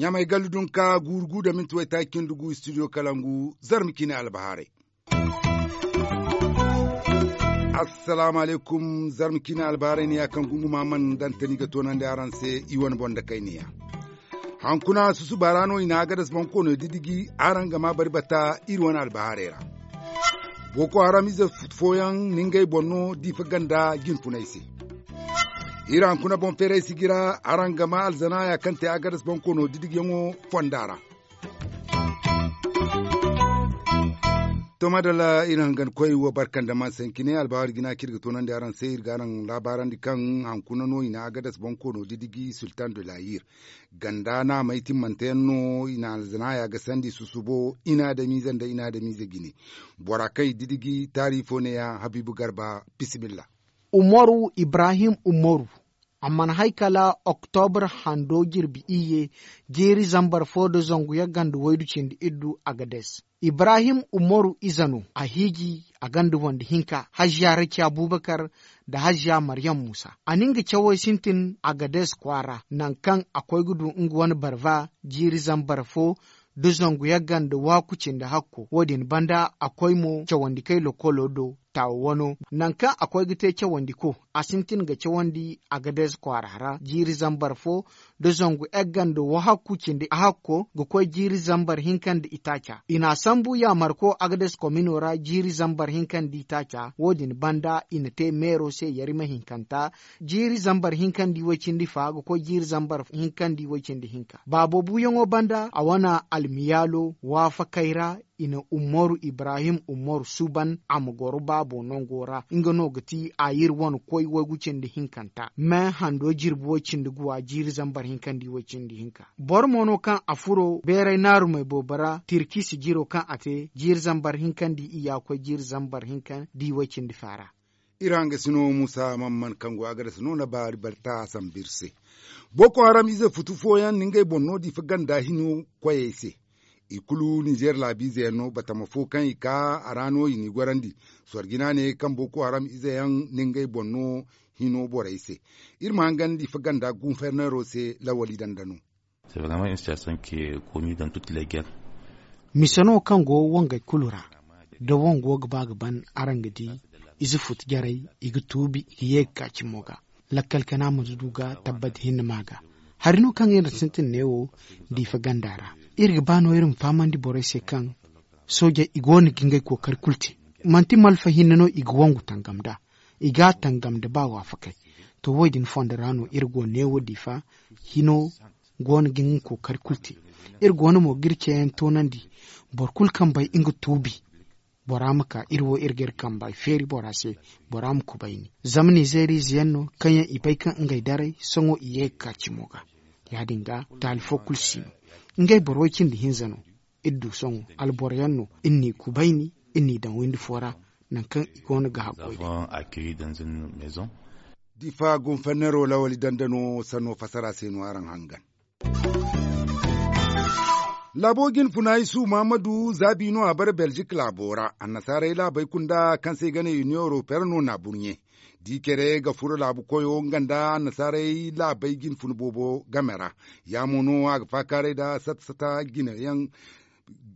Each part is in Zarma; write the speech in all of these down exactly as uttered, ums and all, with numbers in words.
Ɲamay gallu dunka guuru gu da minti waytaaci cindi gu studio kalangu zarma ciine albahaarey. Assalaamu alaykum. Zarma ciine albahaarey ne ya kaŋ gunguma mana dantani ga toonandi araŋ se i wane boŋ da kayniya. Hankuna susuba ra no i na agadas boŋ koono didiji araŋ ga ma bari bata iri wane albahaarey ra. Boko haram ize fooyaŋ na ngey boŋ no diifa ganda jinfunay se. Iri hankuna boŋ feeray sijira araŋ ga ma alzanaaya kaŋ te agadas boŋ koono didijiyaŋo fonda ra. To madalla iri hangan koy wo barkanda ma sankine albahaari jina kaŋ iri ga toonandi araŋ se iri ga araŋ laabaarandi kaŋ hankuna no i na agadas boŋ koono didiji sultan de layir ganda naamey timmante yaŋ no i na alzanaaya ga sandi susubo i na adamiize nda i na adamiize jine. Bora kaŋ i didiji taari fo ne ya habiibu garba. Bisimilla. Umaru ibrahim umaru a mana hay kala oktobra hando jirbi iyye jiiri zambar fo nda zangu yagga nda waydu cindi iddu agades. Ibrahim umaru ize no a hiiji a ganda wande hinka hajja raki abubakar nda hajja maryam muusa a na nga cawey sintin agades kwaara nangu kaŋ a koy ga du nga wane barba jiiri zambar fo nda zangu yagga nda waaku cindi hakko wo- din banda a koy mo cawandi kay lokolo do taawa wano nangu kaŋ a koy ga te cawandi ko a sintin ga cawandi agades kwaara ra jiiri zambar fo nda zangu egga nda wahakku cindi hakko ga koy jiiri zambar hinka nda itaaca i na a sambu yaamarko agades komino ra jiiri zambar hinka nda itaaca wo- din banda i na te meero se yarima hinkanta jiiri zambar hinka nda iway cindi fa ga koy jiiri zambar hinka nda iway cindi hinka baabo buuyaŋo banda a wane almiyaalo waafakey ra i na umaru ibrahim umaru suuban a ma goro baabo nango ra nga no ga ti a iri wane koy waygu cindi hinkanta me hando jirbi way cindi guwa jiiri zambar hinka nda iway cindi hinka boro mo no kaŋ a furo beeray naarumey boobo ra tirki sijiro kaŋ a te jiiri zambar hinka nda iyya koy jiiri zambar hinka nda iway cindi fa ra. Iri hangasino muusa mamman kaŋ go a ga dasa no na baari balta sambu iri se. Boko haram ize futu fooyaŋ na ngey boŋ no diifa ganda hino koyey se. I kulu nizeer laabiize yaŋ no batama fo kaŋ i ka a ra no i n'i gorandi. Sorjina ne kaŋ boko haram ize yaŋ na ngey boŋ no hino borey se. Iri ma hangan diifa ganda gunferneero se lawali danda no. Mise no kaŋ go wangey kulu ra da wango ga ba ga ban araŋ ga di ize futu jarey i ga tuubi i ga ye ga ka cimo ga. Lakkal kana ma du ga tabbati hinne ma ga hari no kaŋ iri na sintin neewo diifa ganda ra. Iri ga ba no iri ma fahamandi borey se kaŋ soojey i go no ga ngey kookari kulu te. Manti malfa hinne no i ga wangu tangam nd'a i ga a tangam nda ba waafakey. To wo- din fondo ra no iri go neewo diifa hino go no ga nga kookari kulu te. Iri go no mo ga iri ceeyaŋ toonandi boro kulu kaŋ bay nga tuubi. Bora ma ka iri wo iri ga iri kambey feeri bora se. Bora ma kubayni zama nizeeriize yaŋ no kaŋ yaŋ i bay kaŋ ngey daray sohõ i ye ga ka cimo ga. Ya- din ga taali fo kulu si no. Ngey boro way cindi hinza no. Iri du sohõ alboro yaŋ no iri n'i kubayni iri n'i daŋ windi fo ra. Nangu kaŋ i go no ga hakkoy day. Difa gunfannero lawali danda no sanno fasara se no araŋ hangan. Laabo jinfuna isu muhammadu zaabi no a bare belzik laabo ra annasaarey laabey kunda kaŋ se i ga ne union européenne no na burɲe. Di care ga furo laabu koyo nga nda annasaarey laabey jinfuna boobo game ra. Ya mo no a ga faakaaray nda sata sata jine yaŋ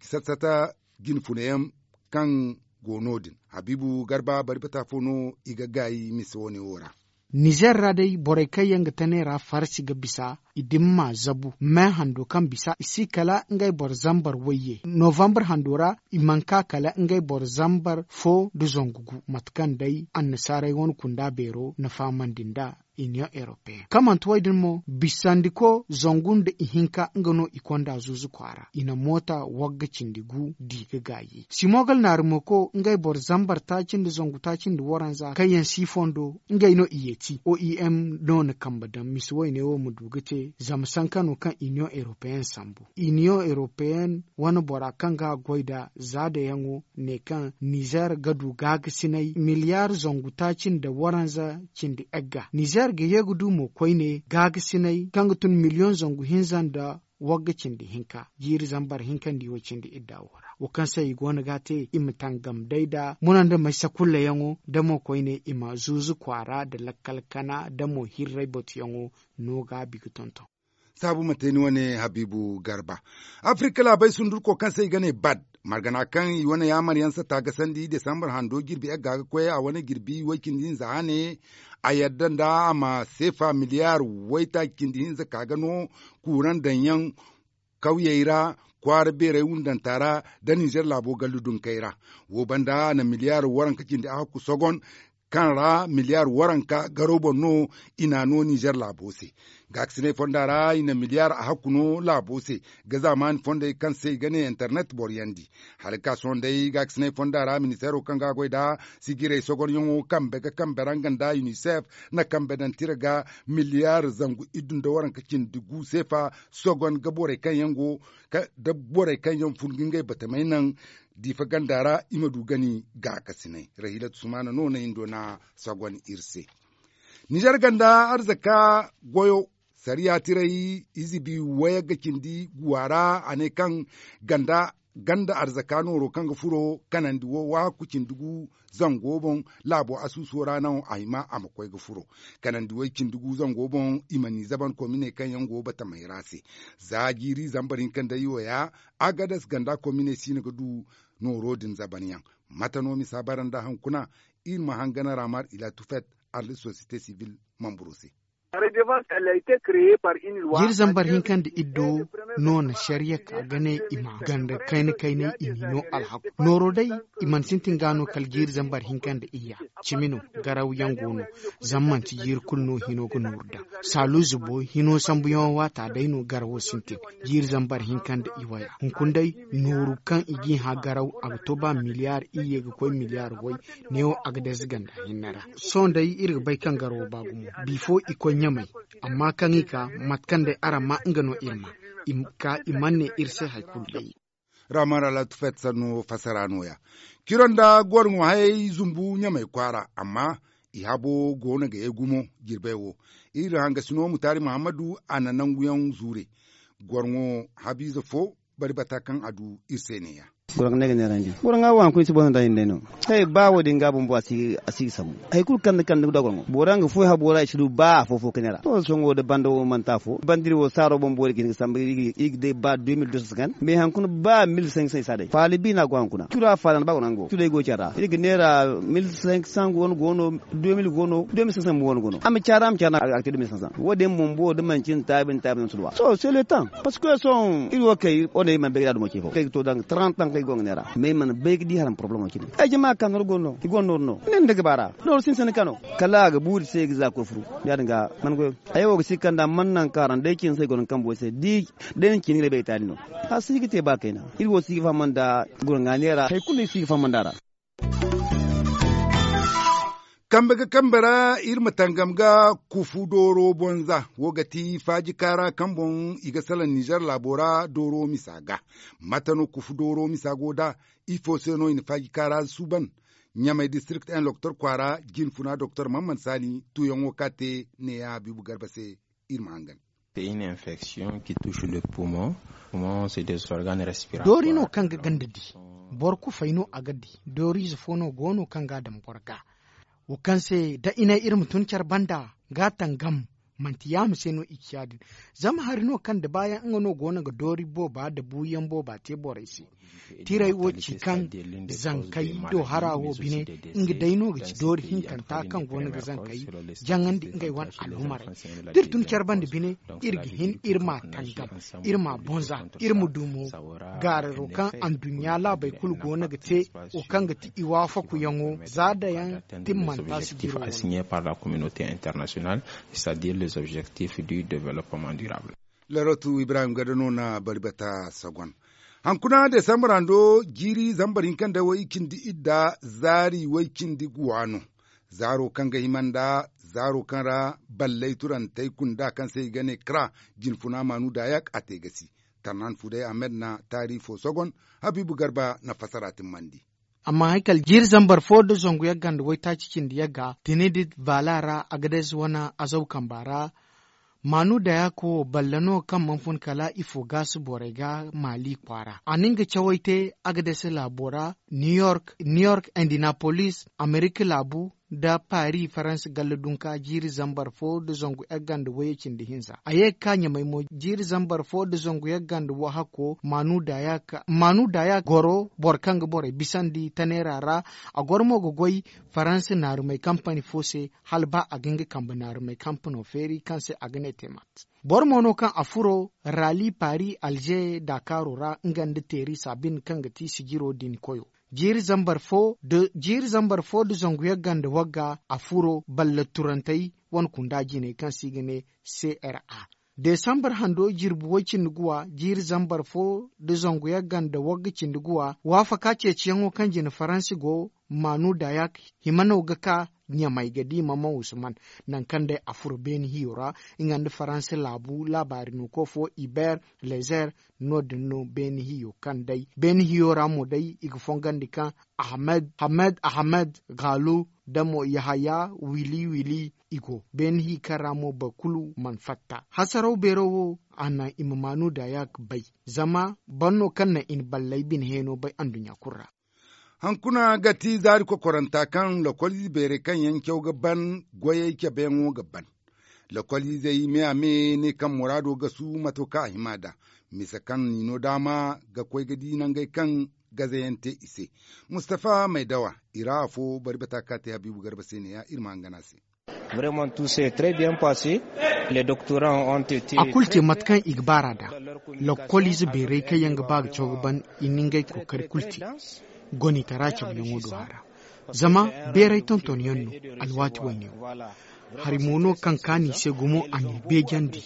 sata sata jinfuna yaŋ kaŋ go no- din habiibu garba bari bata fo no i ga gaayi mise wane wo ra. Nizer ra day borey kaŋ yaŋ ga tanay ra farsi ga bisa i dimma zabu me hando kaŋ bisa i si kala ngey boro zambar wayye novambar hando ra. I mana ka kala ngey boro zambar fo nda zangu gu mate kaŋ day annasaarey wane kunda beero na fahamandi nd'a. Union européenne kaŋ manti wo- din mo bisandiko zangu nda ihinka nga no i konda zuuzu kwaara i na moota wagga cindi gu di ga gaayi simogal naarumako ngey boro zambar taaci nda zangu taaci nda waranza kaŋ yaŋ si fondo ngey no i yeeti oem no na kambe daŋ mise wayne wo ma du ga te zama sanka no kaŋ union européenne sambu. Union européenne wane bora kaŋ ga a goy nda zaadayaŋo ne kaŋ nizer ga du gaagasinay miliyar zangu taaci nda waranza cindi egga nizer ga ye ga du mo koyne gaagasinay kaŋ ga tun miliyoŋ zangu hinza nda wagga cindi hinka jiiri zambar hinka nda i wo cindi idda wo ra wo kaŋ se i go no ga a te i ma tangam day nda muna nda may sakullayaŋo da mo koyne i ma zuuzu kwaara nda lakkal kana nda mo hirray batuyaŋo no gaabi ga tonton. Saabu ma te ni wane habiibu garba. Afirika laabey sundurko kaŋ se i ga ne bad margana kaŋ i wane yaamaryaŋ satta ga sandi desambar hando jirbi yagga ga koy a wane jirbi way cindi hinza hane. A yadda nda a ma seefa miliyaar waytaaci cindi hinza ka ga no kuuraŋ daŋyaŋ kawyey ra kwaara beerey wundanta ra nda ninzeer laabo gallu dunkey ra. Wo banda a na miliyaar waranka cindi a hakku sogon kaŋ ra miliyaar waranka garo boŋ no i n'a no ninzeer laabo se. Gaakasinay fonda ra i na miliyaar a hakku no laabo se ga zaamaani fondey kaŋ se i ga ne internet boryandi. Hala ga ka sohõ day gaakasinay fonda ra ministeero kaŋ ga a goy nda sijirey sogonyaŋo kambe ga kambe ra nga nda unicef na kambe daŋ tira ga miliyaar zangu iddu nda waranka cindi gu seefa sogon ga borey kaŋ yaŋ go nda borey kaŋ yaŋ fun ga ngey batamey naŋ diifa ganda ra i ma du gani gaakasinay. Rahilatu sumaana no na hindo na sogon iri se. Nizer ganda arzaka goyo sariya tiray izibi wayagga cindi guwa ra a ne kaŋ ganda arzaka nooro kaŋ ga furo kanandi wo waakku cindi gu zango boŋ laabo asuuso ra no a hima a ma koy ga furo kanandi way cindi gu zango boŋ i ma ni zaban komine kaŋ yaŋ go batamey ra se. Za jiiri zambar hinka nda i wo ya agades ganda komine siina ga du nooro din zaban yaŋ. Mate no misa bara nda hankuna iri ma hangana ramar ila tufet arlit sosiyete sivil mamburo se. Jiiri zambar hinka nda iddo no na sariya ka ga ne i ma ganda kayna kaynay i m'i no alhaku nooro day. I mana sintin ga no kala jiiri zambar hinka nda iyya cimi no garaw yaŋ go no. Zama manti jiiri kulu no hino ga nooru daŋ saalu zubo hino sambuyaŋo waata day no garawo sintin. Jiiri zambar hinka nda iwaya hunkuna day nooru kaŋ i g'i hã garaw a ga to ba miliyaar iyye ga koy miliyaar way. Neewo a ga dayze ganda hinne ra. Sohõ day iri ga bay kaŋ garawo ba gumo bifo i koy ɲamay. Amma kaŋ i ka mate kaŋ day araŋ ma nga no iri ma i ka i mana ne iri se hari kulu day. Ramar alatu fetsanno fasara nooya kiro nda gorŋo hayey zumbu ɲamay kwaara amma i habo go no ga ye gumo. Jirbey wo iri hangasino mutaari muhammadu a na nanguyaŋ zuure. Gorŋo habiize fo bari bata kaŋ a du iri se neeya. Goro ga ne ga neerandi goro ga wo haŋ kulu ni si boŋ nda hinday no. Hay ba wo- din ga bumbo a si ga sambu. Hari kulu kaŋ ni kande ga du a goro ŋo boro yaŋ ga foy habo ra i si du ba afo-fo ga neera to sohõ wo da banda wo manti afo banda iri wo saaro boŋ boori ga hin ga sambu iri ga day ba deux mille deux cent cinquante mais haŋ kuna ba mille cinq cent i si a day faala bi no a go haŋ kuna cura faala no ba goro yaŋ go curey go care ra iri ga neera mille cinq cent go no go no deux mille go no deux mille cinq cent mo go no a ma care a ma care no a ga te deux mille cinq cent wo- din bumbo da manci ni taabi ni taabi no ni si du a sohõ c'est le temps. Parce que sohõ iri wo kay wane iri mana bay ga da dumo ce fo kay ga to danga trente ans kay go ga neera mais iri mana bay ga di haram problemo cine. Ay jama ka nooru go no i go nooru no ne nda ga baara nooru sintin kano kala a ga buuri se ga za koy furu. Ya- din ga mana goyo ay wo ga si kanda mana naŋ kaaraŋ day cine se go no kambo se di day ni cine ga bay taali no. A si ga te ba kayna iri wo si ga faham nda gurŋa neera hari kulu iri si ga faham nda ra. Kambe ga kambe ra iri ma tangam ga kufu dooro bonza wo ga ti faaji kaara kaŋ boŋ i ga salaŋ nizer laabo ra dooro misa ga. Mate no kufu dooro misa go nd'a? Ifo se no i na faaji kaara suuban? Ɲamay district en loktor kwaara jinfuna doktor mamman saani tuuyaŋo ka te neeya habiibu garba se. Iri ma hangan. Doori no kaŋ ga ganda di boro kufay no a ga di. Dooriize fo no go no kaŋ ga a daŋ boro ga wo kaŋ se da i ne iri ma tun care banda ga a tangam. Manti yaama se no i ci ya- din zama hari no kaŋ da baayaŋ nga no go no ga doori booba nda buuyaŋ booba te borey se. Tiray wo ci kaŋ zankey do hara wo bine nga day no ga ci doori hinkanta kaŋ go no ga zankey jaŋandi ngey wane alhumarey. Da iri tun care banda bine iri ga hin iri m'a tangam iri m'a bonza iri ma du mo gaararo kaŋ anduɲɲa laabey kulu go no ga te wo kaŋ ga ti i waafakuyaŋo za dayaŋ timmanta si diro wala. Par la communauté internationale, c'est à dire les objectifs du développement durable. Laratu ibrahim gada no na bari bata sagon. Hankuna desambar hando jiiri zambar hinka nda way cindi idda zaari way cindi guwa no. Zaaro kaŋ ga hima nda zaaro kaŋ ra ballay turantey kunda kaŋ se i ga ne kra jinfuna maanu daayak a te gasi. Tarnan fuday ahmed na taari fo sogon. Habiibu garba na fasara timmandi. Amma hari kala jiiri zambar fo nda zangu yagga nda waytaaci cindi yagga tinidit vaala ra agadez wane azaw kamba ra. Maanu dayak wo balle no kaŋ mana fun kala ifo gaasi borey ga maali kwaara a na nga cawey te. Agades laabo ra, new york, new york, indinapolis, amerika laabu, nda paris faransa galla dunka jiiri zambar fo nda zangu yagga nda wayye cindi hinza a ye ga ka ɲamay mo jiiri zambar fo nda zangu yagga nda wahakko. Maanu dayak maanu dayak goro boro kaŋ ga borey bisandi taneera ra. A goro mo ga goy faransa naarumey kampani fo se, hala ba a ga nga kambe naarumey kampano feeri kaŋ se a ga ne temat. Boro mo no kaŋ a furo rali paris alger dakaaro ra nga nda teeri sabin kaŋ ga ti sijiro din koyo. Jiiri zambar fo nda jiiri zambar fo nda zangu yagga nda wagga a furo balle turantey wane kunda jiney kaŋ se i ga ne, cra. Desambar hando jirbi way-cindi guwa jiiri zambar fo nda zangu yagga nda wagga cindi guwa waafaka ceeciyaŋo kaŋ jine faransi go. Maanu dayak hima no ga ka ɲamay ga di mama usman, nangu kaŋ day a furo beeni hiyo ra. Nga nda faransi laabu laabaari nuko fo iber lezer. No- din no beeni hiyo kaŋ day beeni hiyo ra mo day i ga fongandi kaŋ ahmed ahmed ahmed galu nda mo yahaya wili wili. I go beeni hi kaŋ ra mo boro kulu mana fatta hasaraw beero wo. A naŋ i ma maanu dayak bay zama boro no kaŋ naŋ i na balley bine heeno bay anduɲɲa kulu ra. Hankuna ga ti zaari kokoranta kaŋ lokoliize beerey kaŋ yaŋ caw ga ban goyey cabeyaŋo ga ban. Lokoliizey me-a-me ne kaŋ muraado ga su mato kaŋ a hima nd'a. Misa kaŋ i no daama ga koy ga di nangey kaŋ gazayaŋ te i se. Mustafa maydawa i ra afo bari bata ka te habiibu garba se ne-ya iri ma hangan a se. A kulu te mate kaŋ i ga baar'a nd'a. Lokkol ize beerey kaŋ yaŋ ga ba ga caw ga ban i na ngey kookari kulu te. Gonitara cabeyaŋo do hara zama beeray tonton yaŋ no. Alwaati wayne wo hari mo no kaŋ kaanu i se gumo a n'i beejandi.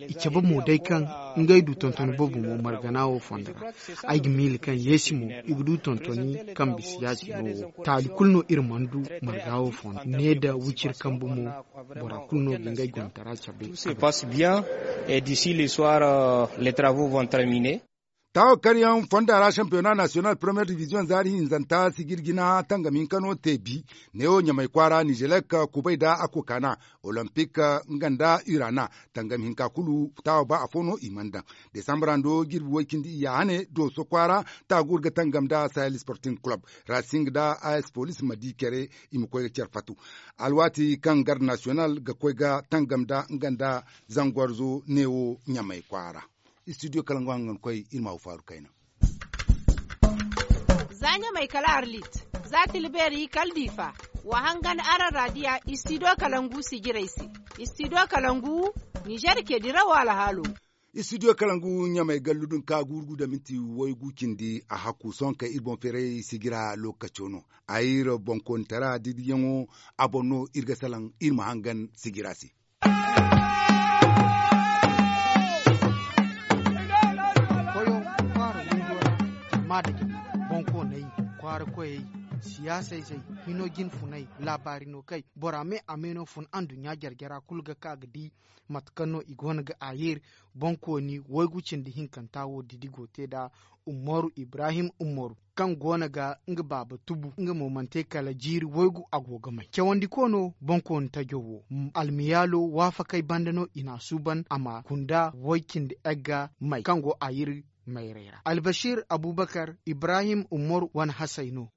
I cabe mo day kaŋ ngey du tontoni boobo mo margana wo fondo ra. Ay ga miila kaŋ yeesi mo i ga du tontoni kaŋ bisa ya-cine wo taali kulu no iri mana du marga wo fondo ne nda wiciri kambe mo. Bora kulu no ga ngey gontara cabe. Taawo karyaŋ fonda ra shampiyona nasiyonal premiyer diviziyoŋ zaari hinzanta sijir jina tangam hinka no te bi. Neewo ɲamay kwaara nizelek kubay nda akokana, olompik nga nda urana tangam hinka kulu. Taawo ba afo no i mana daŋ. Desambra ndo jirbi way-cindi iyya hane dooso kwaara, taaguur ga tangam nda sahel sporting kulob, rasing nda as polis ma di care. I ma koy ga care fatu alwaati kaŋ garde nasiyonal ga koy ga tangam nda nga nda zangwarzo neewo ɲamay kwaara. Istidiyo kala nga hangankoy iri ma haw faaru kayna. Za ɲamay kala arlit, za tilbeeri kala diifa. Wa hangan araŋ raadiya istidiyo kalangu sijirey se. Istidiyo kalangu, nizer ke dirawo alhaalo. Istidiyo kalangu ɲamay gallu din ka guuru gu nda minti waygu cindi a hakku sohõ kaŋ iri boŋ feeray sijira lookaco no. Ayir boŋkoonitara didiyaŋo a boŋ no iri ga salaŋ iri ma hangan sijira se. Koyo kwaara windo ra, jama nda jama, boŋkooney, kwaara koyey, siyaasa izey, hino jine funay, laabaari no kay bora me a me no fun anduɲɲa jare-jara kulu ga ka ga di. Mate kaŋ no i goono ga a yeeri boŋkooni waygu cindi hinkanta wo didi go te nd'a. Umaru ibrahim umaru, kaŋ goono ga nga baaba tubu nga mo mana te kala jiiri waygu a go ga may cawandiko no boŋkooni tajo wo. Almiyaalo waafakey banda no i n'a suuban a ma kunda way-cindi egga may kaŋ go a yiri mayray ra albashir abubakar ibrahim umaru wane hasey no.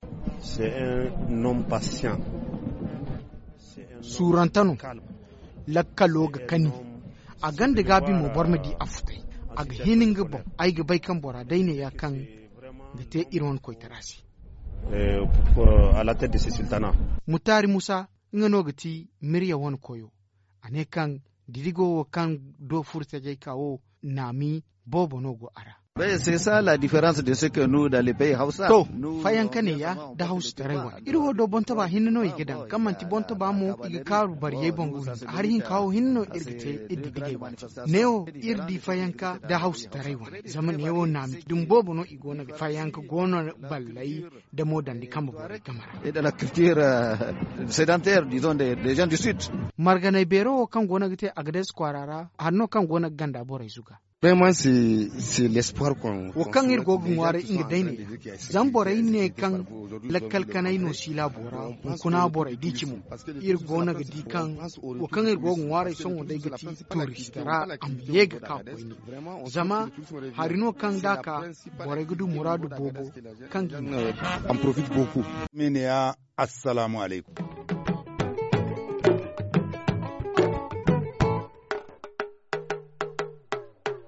Suurante no. Lakkalo ga kani. A gonda gaabi mo boro ma di a futay. A ga hin nga boŋ. Ay ga bay kaŋ bora day neeya kaŋ ga te iri wane koytara se. Mutaari musa, nga no ga ti mirya wane koyo. A ne kaŋ didigo wo kaŋ do furo tajay ka wo, naami boobo no go a ra. To, fayanka neeya nda hawsataray wane iri wo do boŋtaba hinne no i ga daŋ kaŋ manti boŋtaba mo i ga kaaru bariyey boŋ ga hinza hari hinka wo hinne no iri ga te iri didigey wane. Neewo iri di fayanka nda hawsataray wane zama neewo naami dumi boobo no i go no ga fayanka go no balley nda mo dandi kambe borey game ra. Marganey beero wo kaŋ go no ga te agades kwaara ra hari no kaŋ go no ga ganda borey zuga. Wo kaŋ iri go ga ŋwaaray nga day ne, zama borey ne kaŋ lakkal kanay no si laabo ra, hunkuna borey di cimo. Iri go no ga di kaŋ wo kaŋ iri go ga ŋwaaray sohõ day ga ti tuurista ra, a ma ye ga ka koyne. Zama hari no kaŋ da a ka, borey ga du muraadu boobo kaŋ ga i ne. Mene ya, assalaamu alaykum.